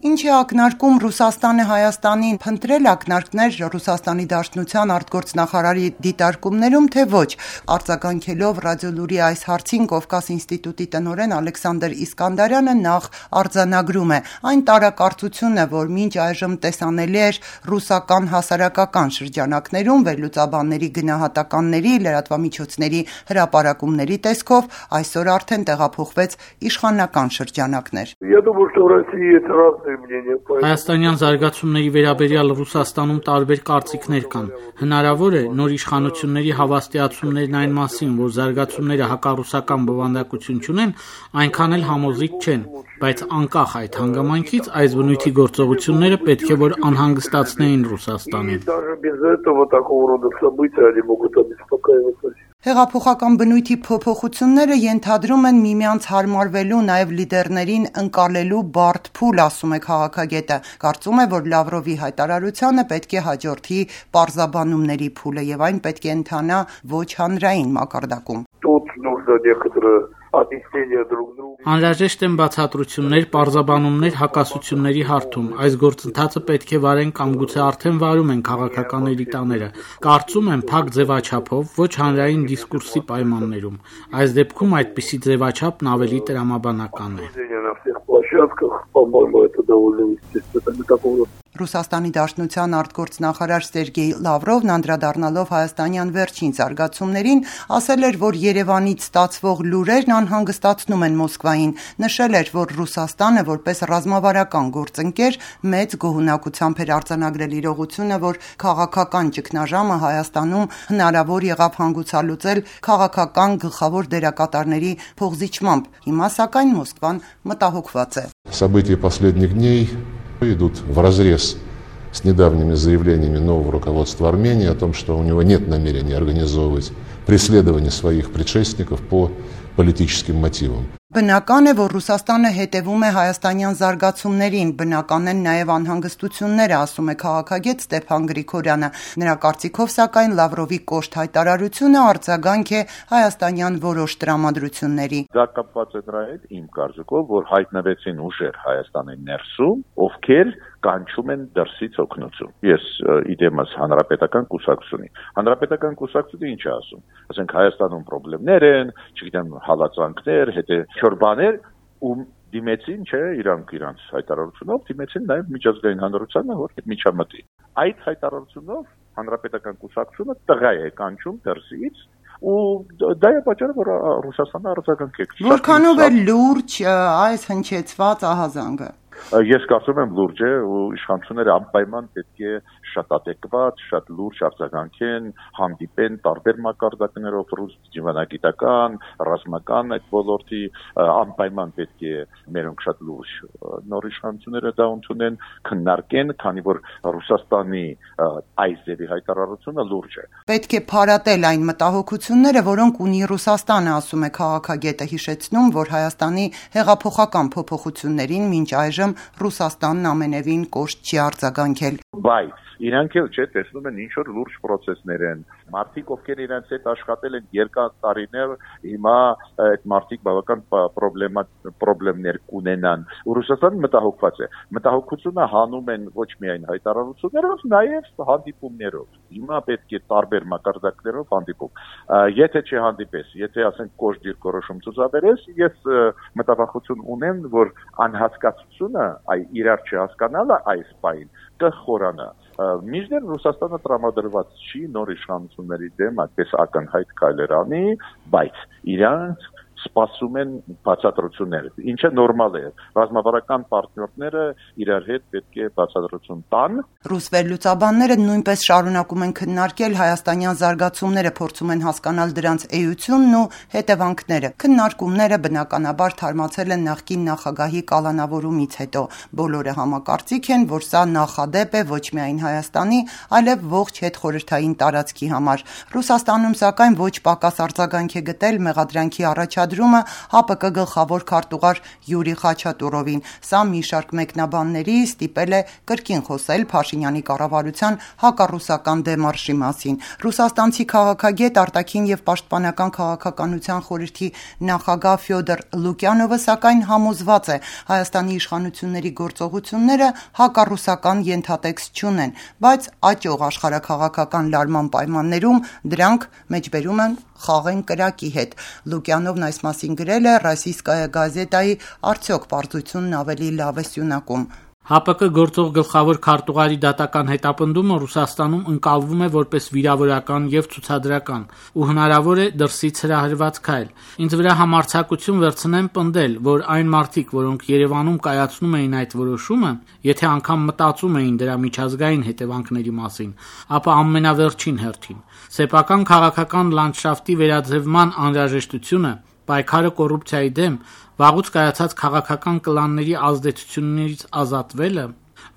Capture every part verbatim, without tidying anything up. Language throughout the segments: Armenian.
Ինչ է ակնարկում Ռուսաստանը Հայաստանին, փնտրել ակնարկներ Ռուսաստանի Դաշնության արտգործնախարարի դիտարկումներում, թե ոչ։ Արձագանքելով Ռադիոլուրի այս հարցին Կովկաս ինստիտուտի տնօրեն Ալեքսանդր Իսկանդարյանը նախ արձանագրում է այն տարակարծությունը, որ մինչ այժմ տեսանելի էր ռուսական հասարակական շրջանակներում վերլուծաբանների գնահատականների, լրատվամիջոցների հրապարակումների տեսքով, այսօր արդեն տեղափոխվեց իշխանական շրջանակներ։ Հայաստանյան զարգացումների վերաբերյալ Ռուսաստանում տարբեր կարծիքներ կան։ Հնարավոր է նոր իշխանությունների հավաստիացումներն այն մասին, որ զարգացումները հակառուսական բովանդակություն չունեն, այնքան էլ համոզիչ չեն, բայց անկախ այդ հանգամանքից այս բնույթի գործողությունները պետք է որ անհանգստացնեին Ռուսաստանին։ Հեղափոխական բնույթի փոփոխությունները ենթադրում են միմյանց հարմարվելու, նաև լիդերներին ընկալելու բարդ փուլ, ասում է քաղաքագետը։ Կարծում է, որ Լավրովի հայտարարությանը պետք է հաջորդի պարզաբանումների փուլը եւ այն պետք է ընթանա ոչ հանրային մակարդակում։ Անհրաժեշտ են բացատրություններ, պարզաբանումներ, հակասությունների հարթում։ Այս գործընթացը պետք է վարեն կամ գուցե արդեն վարում են քաղաքական էլիտաները։ Կարծում եմ փակ ձևաչափով, ոչ հանրային դիսկուրսի պայմաններում։ Այս դեպքում այդպիսի ձևաչափն ավելի տրամաբանական է։ Ռուսաստանի Դաշնության արտգործնախարար Սերգեյ Լավրովն անդրադառնալով հայաստանյան վերջին զարգացումներին, ասել էր, որ Երևանից ստացվող լուրերն անհանգստացնում են Մոսկվային, նշել էր, որ Ռուսաստանը որպես ռազմավարական գործընկեր մեծ գոհունակությամբ էր արձանագրել իրողությունը, որ քաղաքական ճգնաժամը Հայաստանում հնարավոր եղավ հանգուցալուծել քաղաքական գլխավոր դերակատարների փոխզիջմամբ։ Հիմա սակայն Մոսկվան մտահոգված է։ События последних дней идут вразрез с недавними заявлениями нового руководства Армении о том, что у него нет намерения организовывать преследование своих предшественников по политическим мотивам. Բնական է, որ Ռուսաստանը հետևում է հայաստանյան զարգացումներին, բնական են նաև անհանգստությունները, ասում է քաղաքագետ Ստեփան Գրիգորյանը։ Նրա կարծիքով, սակայն Լավրովի կոշտ հայտարարությունը արձագանք է հայաստանյան որոշ տրամադրությունների։ Դա կապված է նրա հետ իմ կարծիքով, որ հայտնվեցին ուժեր Հայաստանի ներսում, ովքեր կանչում են դրսից օգնություն։ Ես իդեմս հանրապետական կուսակցությունի։ Հանրապետական կուսակցությունը ինչ է ասում։ Ասենք Հայաստանում խնդիրներ են, չգիտեմ, հալածանքներ, հետո չորբաներ ու դիմեցին, չէ, իրանք իրանց հայտարարությունով դիմեցին նաև միջազգային հանրությանը, որ միջամտի։ Այդ հայտարարությունով հանրապետական կուսակցությունը տղա է կանչում դրսից ու դա է պատճառը, որ Ռուսաստանը արձագանք է։ Որքանով է լուրջ այս հնչեցված ահազանգը։ Ես կարծում եմ լուրջ է ու իշխանությունները անպայման պետք է շատ ատեկված, շատ լուրջ արձագանքեն, հանդիպեն տարբեր մակարդակներով ռուս դիվանագիտական, ռազմական այդ ոլորտի անպայման պետք է մերոնք շատ լուրջ նոր իշխանությունները դա ընդունեն, քննարկեն, քանի որ Ռուսաստանի այս ձևի հայտարարությունը լուրջ է։ Պետք է փարատել այն մտահոգությունները, որոնք ունի Ռուսաստանը, ասում է քաղաքագետը, հիշեցնում, որ Հայաստանի հեղափոխական փոփոխություններին մինչ այժմ Ռուսաստանն ամենևին կոշտ չի արձագանքել։ Բայց իրանք էլ չէ, տեսնում են ինչ որ լուրջ process-ներ են։ Մարդիկ, ովքեր իրենց հետ աշխատել են երկար տարիներ, հիմա այդ մարդիկ բավական խնդիրներ կունենան։ Ռուսաստանը մտահոգված է։ Մտահոգությունը հանում են ոչ միայն հայտարարություններով, նաև հանդիպումներով։ Հիմա պետք է տարբեր մակարդակներով հանդիպում։ Եթե չհանդիպես, եթե ասենք կոշտ դիրքորոշում ցուցաբերես, ես մտավախություն ունեմ, որ անհասկացությունը, այ իրար չհասկանալը այս պայն կխորանա։ Միջդեռ Ռուսաստանը տրամադրված չի նոր իշխանությունների դեմ այդպես ակնհայտ քայլեր անի, բայց իրանք սպասում են բացատրություններ, ինչը նորմալ է։ Ռազմավարական պարտներները իրար հետ պետք է բացատրություն տան։ Ռուս վերլուծաբանները նույնպես շարունակում են քննարկել հայաստանյան զարգացումները, փորձում են հասկանալ դրանց էությունն ու հետևանքները։ Քննարկումները բնականաբար թարմացել են նախկին նախագահի կալանավորումից հետո։ Բոլորը համակարծիք են, որ սա նախադեպ է ոչ միայն Հայաստանի, այլև ողջ հետխորհրդային տարածքի համար։ Ռուսաստանում սակայն ոչ պակաս արձագանք է գտել մեղադրանքի առաջադեմ ենթադրումը ՀԱՊԿ գլխավոր քարտուղար Յուրի Խաչատուրովին։ Սա մի շարք մեկնաբանների ստիպել է կրկին խոսել Փաշինյանի կառավարության հակառուսական դեմարշի մասին։ Ռուսաստանցի քաղաքագետ, արտաքին եւ պաշտպանական քաղաքականության խորհրդի նախագահ Ֆյոդոր Լուկյանովը սակայն համոզված է, Հայաստանի իշխանությունների գործողությունները հակառուսական ենթատեքստ չունեն, բայց աճող աշխարհաքաղաքական լարման պայմաններում դրանք մեջբերում են խաղեն կրակի հետ։ Լուկյանովն այս մասին գրել է «Ռոսիյսկայա գազետայի» «Արդյոք պարզությունն ավելի լավ է սյունակում»։ ՀԱՊԿ գործող գլխավոր քարտուղարի դատական հետապնդումը Ռուսաստանում ընկալվում է որպես վիրավորական եւ ցուցադրական ու հնարավոր է դրսից հրահրված քայլ։ Ինձ վրա համարձակություն վերցնեմ պնդել, որ այն մարդիկ, որոնք Երևանում կայացնում էին այդ որոշումը, եթե անգամ մտածում էին դրա միջազգային հետևանքների մասին, ապա ամենավերջին հերթին սեփական քաղաքական լանդշաֆտի վերաձևման անհրաժեշտությունը, պայքարը կոռուպցիայի դեմ, վաղուց կայացած քաղաքական կլանների ազդեցություններից ազատվելը,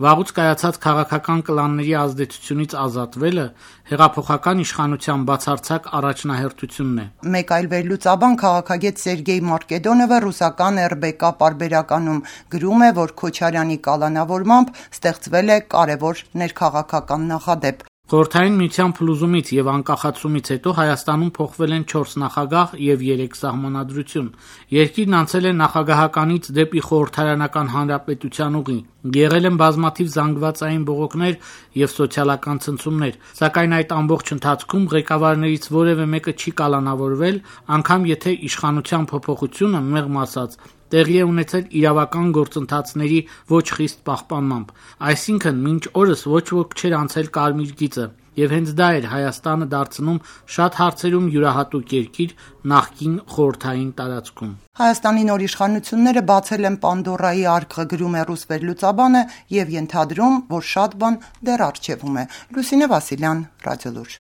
վաղուց կայացած քաղաքական կլանների ազդեցությունից ազատվելը հեղափոխական իշխանության բացարձակ առաջնահերթությունն է։ Մեկ այլ վերլուծաբան քաղաքագետ Սերգեյ Մարկեդոնովը ռուսական եր բե կա պարբերականում գրում է, որ Քոչարյանի կալանավորմամբ ստեղծվել է կարևոր ներքաղաքական նախադեպ։ Խորհրդային միության փլուզումից եւ անկախացումից հետո Հայաստանում փոխվել են չորս նախագահ եւ երեք սահմանադրություն։ Երկիրն անցել է նախագահականից դեպի խորհրդարանական հանրապետության ուղի։ Եղել են բազմաթիվ զանգվածային բողոքներ եւ սոցիալական ցնցումներ, սակայն այդ ամբողջ ընթացքում ղեկավարներից որևէ մեկը չի կալանավորվել, անգամ եթե իշխանության փոփոխությունը մեղմ ասած տեղի է ունեցել իրավական գործընթացների ոչ խիստ պահպանմամբ։ Այսինքն մինչ օրս ոչ ոք չէր անցել կարմիր գիծը, եւ հենց դա էր Հայաստանը դարձնում շատ հարցերում յուրահատուկ երկիր նախկին խորհրդային տարածքում։ Հայաստանի նոր իշխանությունները բացել են Պանդորայի արկղը, գրում է ռուս վերլուծաբանը եւ ենթադրում, որ շատ բան դեռ առջևում է։ Լուսինե Վասիլյան, Ռադիոլուր։